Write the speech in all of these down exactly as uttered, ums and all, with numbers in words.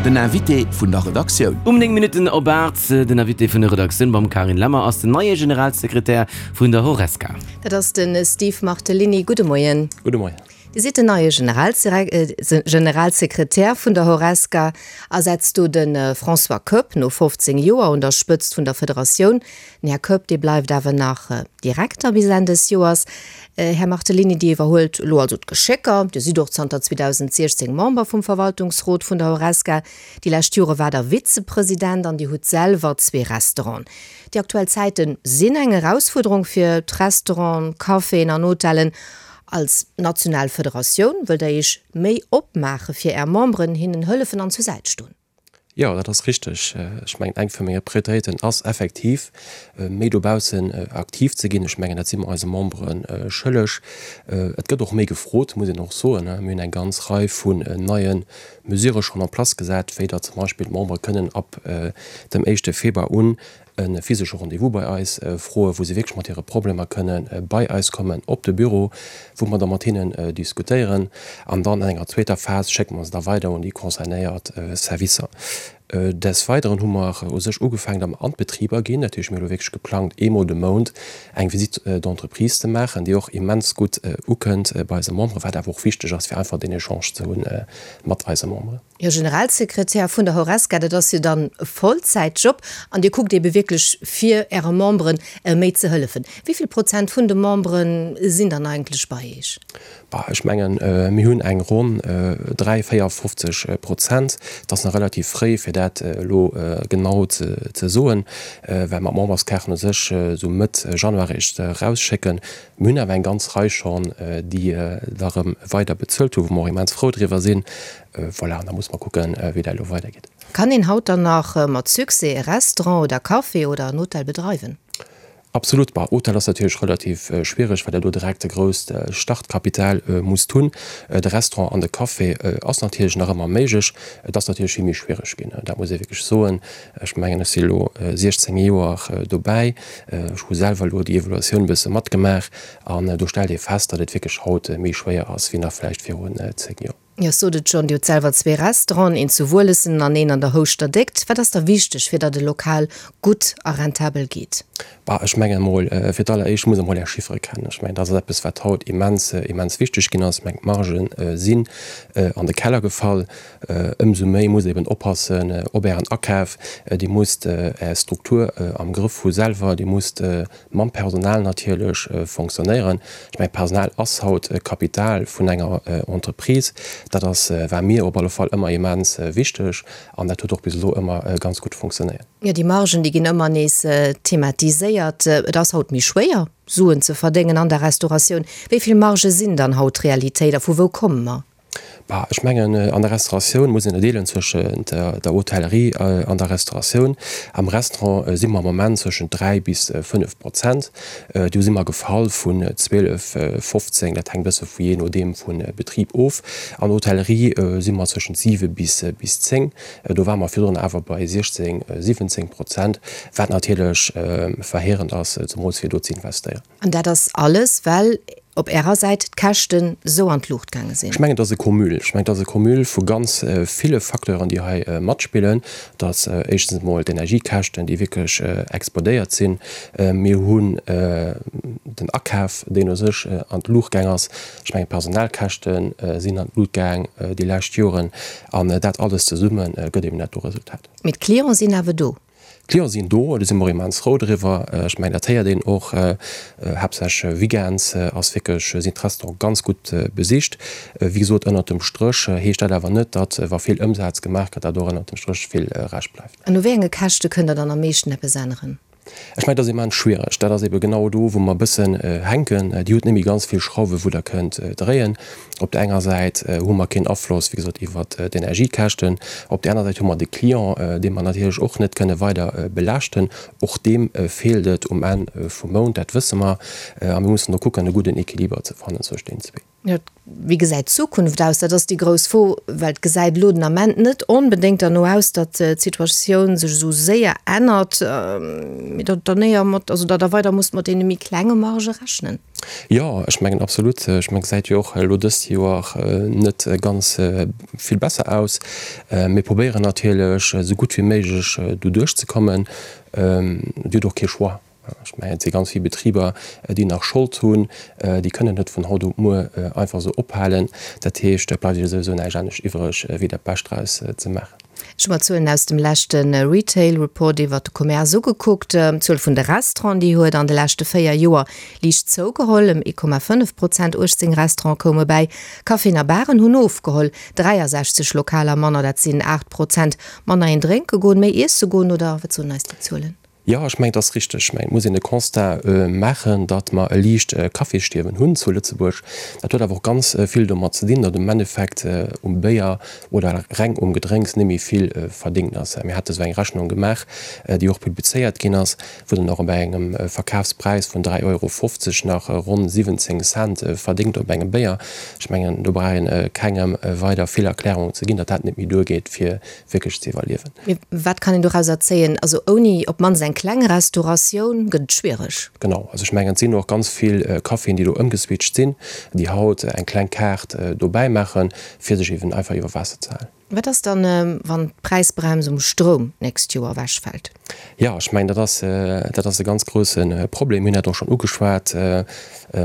Den Invité vun der Redaktioun. Um néng Minutten op aacht, den Invité vun der Redaktioun beim Carine Lemmer ass den neie Generalsekretär vun der Horesca. Dat ass de Steve Martellini. Gudde Moien. Gudde Moien. Dir sidd den neie Generalsekretär vun der Horesca, ersetzt do de François Koepp no fofzéng Joer un der Spëtzt vun der Federatioun. Den Här Koepp, dee bleift awer nach Direkter bis Enn des Joers. Här Martellini, Dir iwwerhuelt elo also d'Geschécker. Dir sidd och zanter zweedausendsiechzéng Member vum Verwaltungsrot vun der Horesca. Déi lescht Jore waart Der Vizepresident an Dir hutt selwer zwee Restauranten. Déi aktuell Zäite sinn eng Erausfuerderung fir d'Restauranten, Caféen an Hotellen. Als national Federatioun wëllt Der Iech méi opmaache fir Är Memberen, hinnen hëllefen an zur Säit stoen. Jo, dat ass richteg. Ech mengen, eng vu menge Prioritéiten ass effektiv, méi dobaussen aktiv ze ginn. Ech mengen, dat si mer eise Membere schëlleg. Et gëtt och méi gefrot, muss een och soen. Mir hunn eng ganz Rei vun neie Mesure schonn en place gesat, wéi datt zum Beispill d'Membere kënnen ab dem éischte Februar un e physesche Rendez-vous bei eis froen, wou se wierklech mat hire Problemer kënne bei eis kommen op de Büro, wou mer da mat hinnen diskutéieren. An dann an enger zweeter Phas schécke mer se da weider un déi concernéiert Servicer. Des Weideren hu mer u sech ugefaangen, datt mer an d'Betriber ginn. Dat heescht, mir hu elo wierklech geplangt, eemol de Mount eng Visite d'entreprise ze maachen, déi och immens gutt ukënnt bei eise Memberen, wat awer och wichteg ass, fir einfach deen Echange ze hu mat eise Memberen. Jo, Generalsekretär vun der Horesca, dat ass jo dann e Vollzäitjob an Dir kuckt ebe wierklech fir Äre Memberen méi ze hëllefen. Wéi vill Prozent vun de Membere sinn dann eigentlech bei Iech? Bah, ech mengen, mir hunn eng ronn dräi, véierfofzeg Prozent. Et ass nach relativ fréi, fir dat elo genau ze soen, well mer d'Memberskaarten u sech esou Mëtt Januar eréischt erausschécken. Mir hunn awer eng ganz Rei schonn, déi da erëm weider bezuelt hunn, wou mer och immens frou driwwer sinn. Voilà, an da musse mer kucken, wéi dat elo weidergeet. Kann een haut dann nach mat Succès e Restaurant oder Café oder en Hotel bedreiwen? Absolut. Bah, Hotel ass natierlech relativ schwiereg, well Der do direkt e grousst Startkapital musst hunn. De Restaurant an de Café ass natierlech nach ëmmer méiglech. Et ass natierlech vill méi schwiereg ginn, dat muss ee wierklech soen. Ech mengen, ech si elo siechzéng Joer dobäi. Ech hu selwer elo déi Evoluatioun e bësse matgemaach an do stellt ee fest, datt et wierklech haut méi schwéier ass wéi nach vläicht virun zéng Joer. Jo, ech sot et schonn, Dir hutt selwer zwee Restauranten, een zu Wuelessen an een an der Houschter Déckt. Wat ass da wichteg, fir datt e Lokal gutt a rentabel geet? Bah, ech mengen emol, fir d'alleréischt musst Der emol Är Chiffere kennen. Ech mengen, dat ass eppes, wat haut immens, immens wichteg ginn ass. Ech mengen, d'Margen sinn an de Keller gefall. Ëmsou méi musst Der eben oppassen op Ären Akaf. Dir musst Är Struktur am Grëff hu selwer. Dir musst mam Personal natierlech fonctionnéieren. Ech mengen, d'Personal ass haut Kapital vun enger Entreprise. Dat ass, war mir op alle Fall ëmmer immens wichteg an dat huet och bis elo ëmmer ganz gutt fonctionnéiert. Jo, déi Margen, déi ginn ëmmer nees thematiséiert. Et ass haut méi schwéier, Suen ze verdéngen an der Restauratioun. Wéi vill Margë sinn dann haut Realitéit a vu wou komme mer? Bah, ech mengen, an der Restauratioun muss een ënnerdeelen zwëschent der Hotellerie an der Restauratioun. Am Restaurant si mer am Moment zwëschent dräi bis fënnef Prozent. Do si mer gefall vun zwielef, fofzéng, dat hänkt e bësse vu jee nodeem vu Betrib of. An der Hotellerie si mer zwëschent siwe bis bis zéng. Do ware mer virdrun awer bei siechzéng, siwwenzéng Prozent, wat natierlech verheerend ass, zemools fir do ze investéieren. An dat ass alles, well op Ärer Säit d'Käschten esou an d'Luucht gaange sinn. Ech mengen, et ass e Cumul. Ech mengen, et ass e Cumul vu ganz ville Facteuren, déi hei matspillen. Et ass éischtens emol d'Energiekäschten, déi wierklech explodéiert sinn. Mir hunn den Akaf, deen u sech an d'Luucht gaang ass. Ech mengen, d'Personalkäschte sinn an d'Lut gaang déi lescht Joren. An dat alles zesumme gëtt eben dat do Resultat. Mee d'Clienten sinn awer do. D'Clienten sinn do, do si mer och immens frou driwwer. Ech mengen, dat héiert een och, haaptsächlech weekends ass wierklech, sinn d'Restaurante ganz gutt besicht. Wéi gesot, ënnert dem Stréch heescht dat awer net, datt wa vill Ëmsaz gemaach gëtt, datt och ënnert dem Stréch vill Rescht bleift. An u wéi enge Käschte kënnt Der dann am meeschten eppes änneren? Ech mengen, dat ass immens schwiereg. Dat ass ebe genau do, wou mer e bëssen hänken. Dir hutt net méi ganz vill Schrauwen, wou Der kënnt dréien. Op där enger Säit hu mer keen Afloss, wéi gesot, iwwert d'Energiekäschten. Op där aner Säit hu mer de Client, dee mer natierlech och net kënne weider belaaschten. Och deem feelt et um Enn vum Mount, dat wësse mer. A mir mussen do kucken, e gudden Equiliber ze fannen zwëscht deenen zwee. Jo, wéi gesäit d'Zukunft aus? Dat ass déi grouss Fro, well et gesäit elo den Ament net onbedéngt derno aus, datt d'Situatioun sech esou séier ännert, mee datt Der néier mat, also datt Der weider musst mat deene méi klenge Margë rechnen. Jo, ech mengen absolut. Ech mengen, gesäit jo och elo dëst Joer net ganz vill besser aus. Mir probéieren natierlech esou gutt wéi méiglech doduerch ze kommen. Dir hutt och kee Choix. Ech mengen, et si ganz vill Betriber, déi nach Schold hunn, déi kënnen net vun haut op muer einfach esou ophalen. Dat heescht, et bleift jo souwisou näischt anescht iwwereg, wéi dat Bescht draus ze maachen. Ech hu mer d'Zuelen aus dem leschte Retail Report iwwert de Commerce ugekuckt. D'Zuel vun de Restauranten, déi huet an de leschte véier Joer liicht zougeholl, ëm ee Komma fënnef Prozent. uechtzéng Restaurante koume bäi. Caféen a Baren hunn ofgeholl, dräiasechzeg Lokaler manner, dat sinn aacht Prozent manner. Een drénke goen, méi iesse goen, oder wat soen eis déi Zuelen? Jo, ech mengen, et ass richteg. Ech mengen, et muss een de Constat maachen, datt mer e liicht Cafésstierwen hunn zu Lëtzebuerg. Dat huet awer och ganz vill domat ze dinn, datt um Endeffekt um Béier oder reng um Gedrénks net méi vill verdéngt ass. Mir hate sou eng Rechnung gemaach, déi och publizéiert ginn ass, wou dann och bei engem Verkafspräis vun dräi Euro fofzeg nach ronn siwwenzéng Cent verdéngt op engem Béier. Ech mengen, do brauch een kengem weider vill Erklärungen ze ginn, datt dat net méi duergeet, fir wierklech ze iwwerliewen. Mee wat kann een dorauser zéien? Also ouni op d'mannst eng kleng Restauratioun gëtt et schwiereg. Genau, also ech mengen, et sinn och ganz vill Caféen, déi do ëmgeswitcht sinn, déi haut eng kleng Kaart dobäi maachen, fir sech eben einfach iwwer Waasser ze halen. Wat ass dann, wann d'Präisbrems um Stroum d'nächst Joer ewechfält? Jo, ech mengen, dat ass, dat ass e ganz grousse Problem. Mir hunn dat och schonn ugeschwat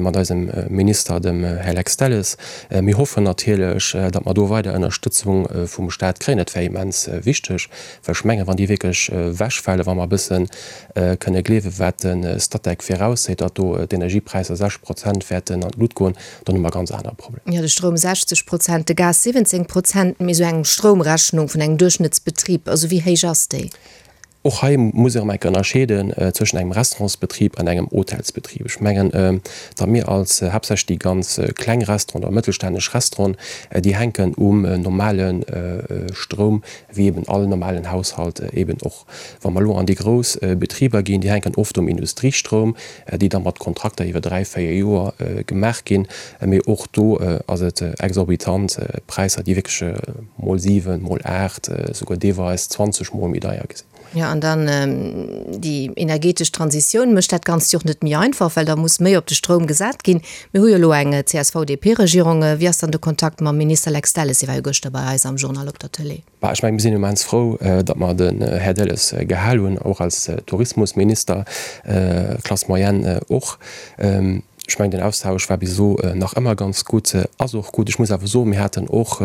mat eisem Minister, dem Här Lex Delles. Mir hoffen natierlech, datt mer do weider Ënnerstëtzung vum Stat kréien. Dat wär immens wichteg, well ech mengen, wann déi wierklech ewechfalen, wa mer e bësse kënne gleewen, wat de Statec virausseet, datt do d'Energiepräisser sechs Prozent wäerten an d'Lut goen, dann hu mer ganz aner Problemer. Jo, de Stroum sechzeg Prozent, de Gas siwwenzéng Prozent, mee esou eng Stroumrechnung vun engem Duerchschnëttsbetrib, also wéi héich ass déi? Och hei muss ee erëm eng Kéier ënnerscheeden zwëschen engem Restaurantsbetrib an engem Hotelsbetrib. Ech mengen, datt mir als haaptsächlech déi ganz kleng Restauranten oder mëttelstänneg Restauranten, déi hänken um normale Stroum, wéi eben all normalen Haushalt eben och. Wa mer elo an déi grouss Betriber ginn, déi hänken oft um Industriestroum, déi da mat Kontrakter iwwer dräi, véier Joer gemaach ginn. Mee och do ass et exorbitant, Präisser, déi wierklech mol siwen, mol aacht, souguer deelweis zwanzeg mol méi deier gi sinn. Jo, an dann déi energetesch Transitioun mécht dat Ganzt jo och net méi einfach, well da muss méi op de Stroum gesat ginn. Mir hu jo elo eng C S V-D P-Regierung. Wéi ass dann de Kontakt mam Minister Lex Delles? Hie war jo gëschter bei eis am Journal op der Tëlee. Bah, ech mengen, mir sinn immens frou, datt mer den Här Delles gehal hunn, och als Tourismusminister, Classe moyenne och. Ech mengen, den Austausch war bis elo nach ëmmer ganz gutt, ass och gutt. Ech muss awer soen, mir haten och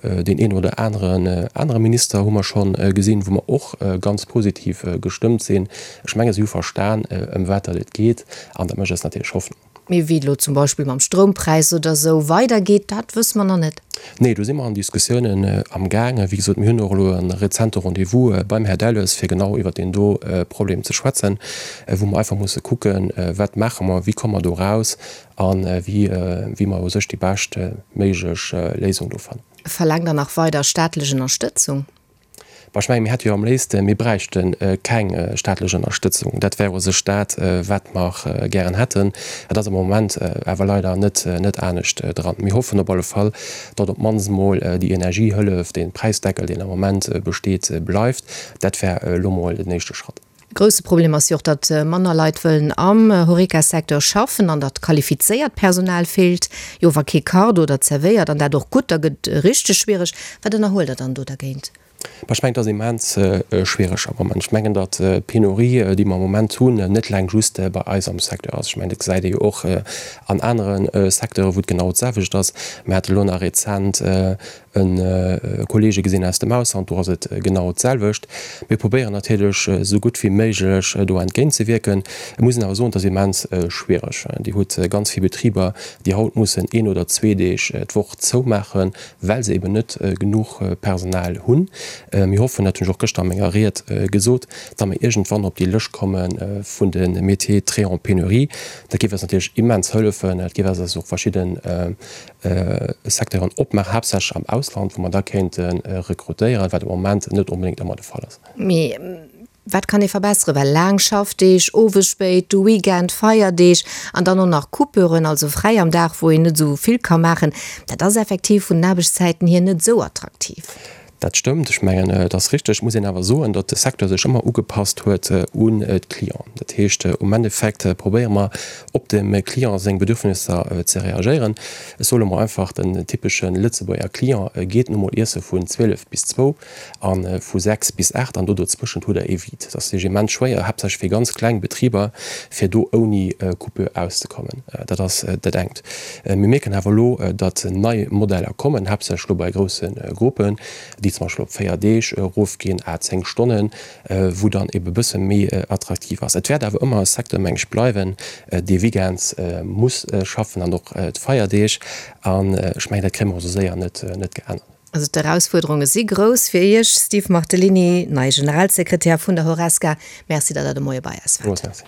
deen een oder aneren anere Minister hu mer scho gesinn, wou mer och ganz positiv gestëmmt sinn. Ech menge si hu verstan, ëm wat datt et geet, an dat mécht eis natierlech Hoffnung. Mee wéi et elo zum Beispill mam Stroumpräis oder esou weidergeet, dat wësse mer nach net. Nee, do si mer an Diskussiounen amgaangen. Wéi gesot, mir hunn och elo e rezente Rendez-vous beim Här Delles, fir genau iwwert deen do Problem ze schwätzen, wou mer einfach musse kucken, wat maache mer, wéi komme mer do raus a wéi wéi mer u sech déi bescht méiglech Léisung do fannen. Verlaangt Der nach weider staatlech Ënnerstëtzung? Bah, ech mengen, mir hätte jo am léifste, mir bräichte keng staatlech Ënnerstëtzung. Dat wär u sech dat, wat mer gären hätten. Et ass am Moment awer leider net, net anescht dran. Mir hoffen op alle Fall, datt op d'mannst emol déi Energiehëllef, dee Präisdeckel, deen am Moment besteet, bleift. Dat wär elo mol den éischte Schratt. Grousse Problem ass jo och, datt manner Leit wëllen am Horeca-Secteur schaffen an datt qualifizéiert Personal feelt. Jo, wa kee kacht oder zerwéiert, an dat och gutt, da gëtt et richteg schwiereg. Wat ënnerhuelt Der dann do dergéint? Bah, ech mengen, et ass immens schwiereg am Moment. Ech mengen, datt d'Penurie, déi mer am Moment hunn, net eleng just bei eis am Secteur ass. Ech mengen, dat gesäit ee jo och an anere Secteuren, wou et genau d'selwecht ass. Mir hate elo nach rezent e Kollege gesinn aus dem Ausland, do ass et genau d'selwecht. Mir probéieren natierlech esou gutt wéi méiglech do entgéintzewierken. Et muss een awer soen, et ass immens schwiereg. Dir hutt ganz vill Betriber, déi haut mussen een oder zwee Deeg d'Woch zoumaachen, well se eben net genuch Personal hunn. Mir hoffen, dat hunn ech och gëschter a menger Ried gesot, datt mer iergendwann op déi Lëscht komme vun de Métiers très en pénurie. Dat géif eis natierlech immens hëllefen. Dat géif eis och verschidde Secteuren opmaachen, haaptsächlech am Ausland, wou mer da kéinte rekrutéieren, wat am Moment net onbedéngt ëmmer de Fall ass. Mee Wat kann ee verbesseren? Well laang Schaffdeeg, owes spéit, de Weekend, Feierdeeg an dann och nach Coupuren, also fräi am Dag, wou een net esou vill ka maachen, dat ass effektiv vun den Aarbechtszäiten hier net esou attraktiv. Dat stëmmt. Ech mengen, et ass richteg. Et muss een awer soen, datt de Secteur sech ëmmer ugepasst huet un d'Clienten. Dat heescht, um Endeffekt probéiere mer, op dem Client seng Bedürfnisser ze reagéieren. Ech soe mol einfach, den typesche Lëtzebuerger Client geet nu mol iesse vun zwielef bis zwou a vu sechs bis aacht an do dozwëschent hutt Der ee Vide. Et ass immens schwéier, haaptsächlech fir ganz kleng Betriber, fir do ouni Coupure auszekommen. Dat ass dat engt. Mir mierken awer elo, datt nei Modeller kommen, haaptsächlech elo bei grousse Gruppen, déi zum Beispill op véier Deeg erofginn, à zéng Stonnen, wou dann ebe bësse méi attraktiv ass. Et wäert awer ëmmer e Secteur, meng ech, bleiwen, dee weekends muss schaffen an och d'Feierdeeg. An ech mengen, dat kréie mer och esou séier net geännert. Also d'Erausfuerderunge si grouss fir Iech, Steve Martellini, neie Generalsekretär vun der Horesca. Merci, datt Der de Moie bei eis waart. Villmools Merci.